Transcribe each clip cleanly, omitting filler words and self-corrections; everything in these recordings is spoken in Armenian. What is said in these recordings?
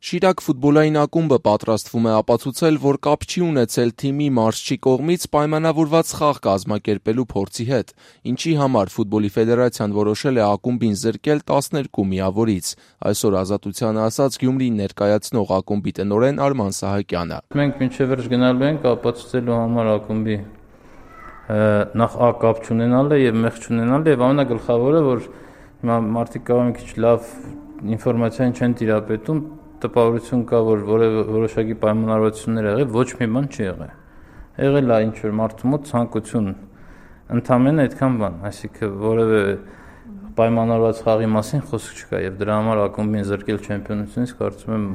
Շիրակ ֆուտբոլային ակումբը պատրաստվում է ապացուցել, որ կապ չի ունեցել թիմի մարզչի կողմից պայմանավորված խաղ կազմակերպելու փորձի հետ, ինչի համար Ֆուտբոլի ֆեդերացիան որոշել է ակումբին զրկել 12 միավորից, այսօր Ազատությանը ասաց Գյումրին ներկայացնող ակումբի տնօրեն Արման Սահակյանը։ Մենք մինչև վերջ գնալու ենք ապացուցելու համար ակումբի նախ կապ չունենալը եւ մեղք չունենալը եւ ամենագլխավորը, որ մարդիկ կարող են քիչ լավ ինֆորմացիան չեն տիրապետում, տպավորություն կա, որ որոշակի պայմանավորվածություններ եղել, ոչ մի բան չի եղել։ Եղել է ինչ որ մարդու մոտ ցանկություն, ընդամենը այդքան բան, այսինքն որևէ պայմանավորված խաղի մասին խոսք չկա եւ դրա համար ակումբին զրկել չեմպիոնությունից կարծում եմ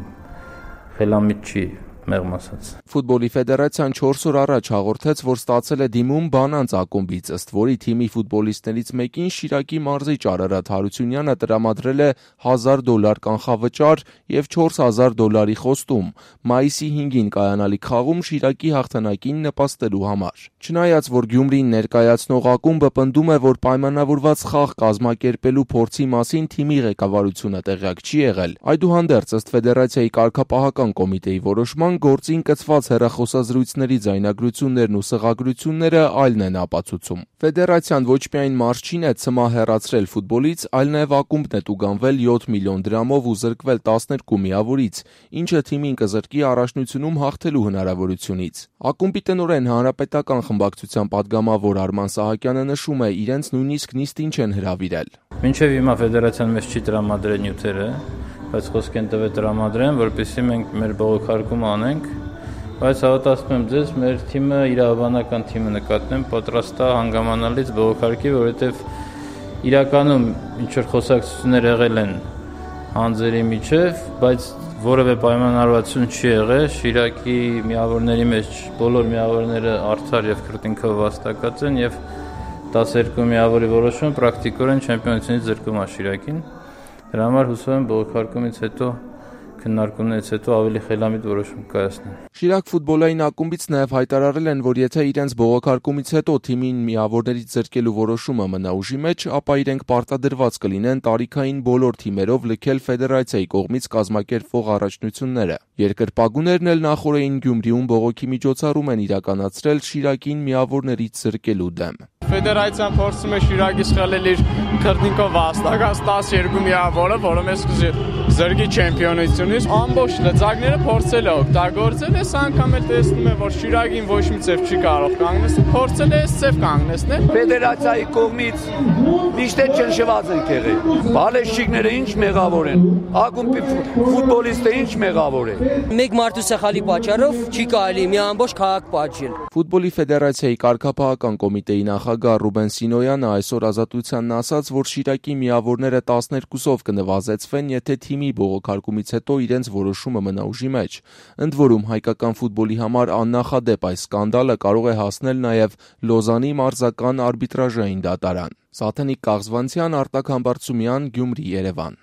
խելամիտ չի, մեղմ ասած։ Ֆուտբոլի ֆեդերացիան 4 օր առաջ հաղորդեց, որ ստացել է դիմում Բանանց ակումբից, ըստ որի թիմի ֆուտբոլիստներից մեկին Շիրակի մարզիչ Արարատ Հարությունյանը տրամադրել է $1000 կանխավճար եւ $4000 խոստում մայիսի 5-ին կայանալիք խաղում Շիրակի հաղթանակին նպաստելու համար։ Չնայած որ Գյումրին ներկայացնող ակումբը պնդում է, որ պայմանավորված խաղ կազմակերպելու փորձի մասին թիմի ղեկավարությունը տեղյակ չի եղել, այդուհանդերձ ըստ ֆեդերացիայի կարգապահական կոմիտեի որոշման գործին կցված հեռախոսազրույցների ձայնագրություններն ու սղագրությունները այլն են ապացուցում։ Ֆեդերացիան ոչ միայն մարզչին է ցմահ հեռացրել ֆուտբոլից, այլ նաև ակումբն է տուգանվել 7 միլիոն դրամով ու զրկվել 12 միավորից, ինչը թիմին կզրկի առաջնությունում հաղթելու հնարավորությունից։ Ակումբի տնօրեն հանրապետական խմբակցության падգամավոր Արման Սահակյանը նշում է, իրենց նույնիսկ նիստին չեն հրավիրել։ Մինչև հիմա ֆեդերացիան մեզ չի տրամադրել նյութերը, բայց խոսք են տվել տրամադրեն, որպեսզի մենք մեր բողոքարկումը անենք, բայց հավատացնում եմ ձեզ, մեր թիմը, իրավաբանական թիմը նկատեմ, պատրաստ է հանգամանալից բողոքարկի, որովհետև իրականում ինչ որ խոսակցություններ եղել են հանձերի միջև, բայց որևէ պայմանավորվածություն չի եղել, Շիրակի միավորների մեջ բոլոր միավորները արդար եւ քրտինքով վաստակած են եւ 12 միավորի որոշումը պրակտիկորեն չեմպիոնությունից զրկում է Շիրակին։ Դրա համար հուսով եմ բողոքարկումից հետո քննարկումներից հետո ավելի խելամիտ որոշում կայացնեն։ Շիրակ ֆուտբոլային ակումբից նաև հայտարարել են, որ եթե իրենց բողոքարկումից հետո թիմին միավորներից զրկելու որոշումը մնա ուժի մեջ, ապա իրենք պարտադրված կլինեն տարիքային բոլոր թիմերով լքել ֆեդերացիայի կողմից կազմակերպվող առաջնությունները։ Երկրպագուներն էլ նախօրեին Գյումրիում բողոքի միջոցառում են իրականացրել Շիրակին միավորներից զրկելու դեմ։ Ֆեդերացիան փորձում է Շիրակից խլել իր քրտինքով վաստակած 12 միավորը, որը մեզ զրկի չեմպիոնությունից։ Ամբողջ լծակները փորձել է օգտագործել, այս անգամ էլ տեսնում է, որ Շիրակին ոչ մի ձև չի կարող կանգնեցնել, փորձել է այս ձև կանգնեցնել։ Ֆեդերացիայի կողմից միշտ ճնշված են եղել։ Բալեշիկները ինչ մեղավոր են, ակումբի ֆուտբոլիստը ինչ մեղավոր է։ Մեկ մարդու սխալի պատճառով չի կարելի մի ամբողջ քաղաք պատժել։ Ֆուտբոլի ֆեդերացիայի կարգապահական կոմիտեի նախագահ Ռուբեն Սինոյանը այսօր Ազատությանն ասաց, որ Շիրակի միավորները 12-ով կնվազեցվեն, եթե թիմի բողոքարկումից հետո իրենց որոշումը մնա ուժի մեջ։ Ընդ որում հայկական ֆուտբոլի համար աննախադեպ այս սկանդալը կարող է հասնել նաև Լոզանի մարզական արբիտրաժային դատարան։ Սաթենիկ Կաղզվանցյան, Արտակ Համբարձումյան, Գյումրի, Երևան։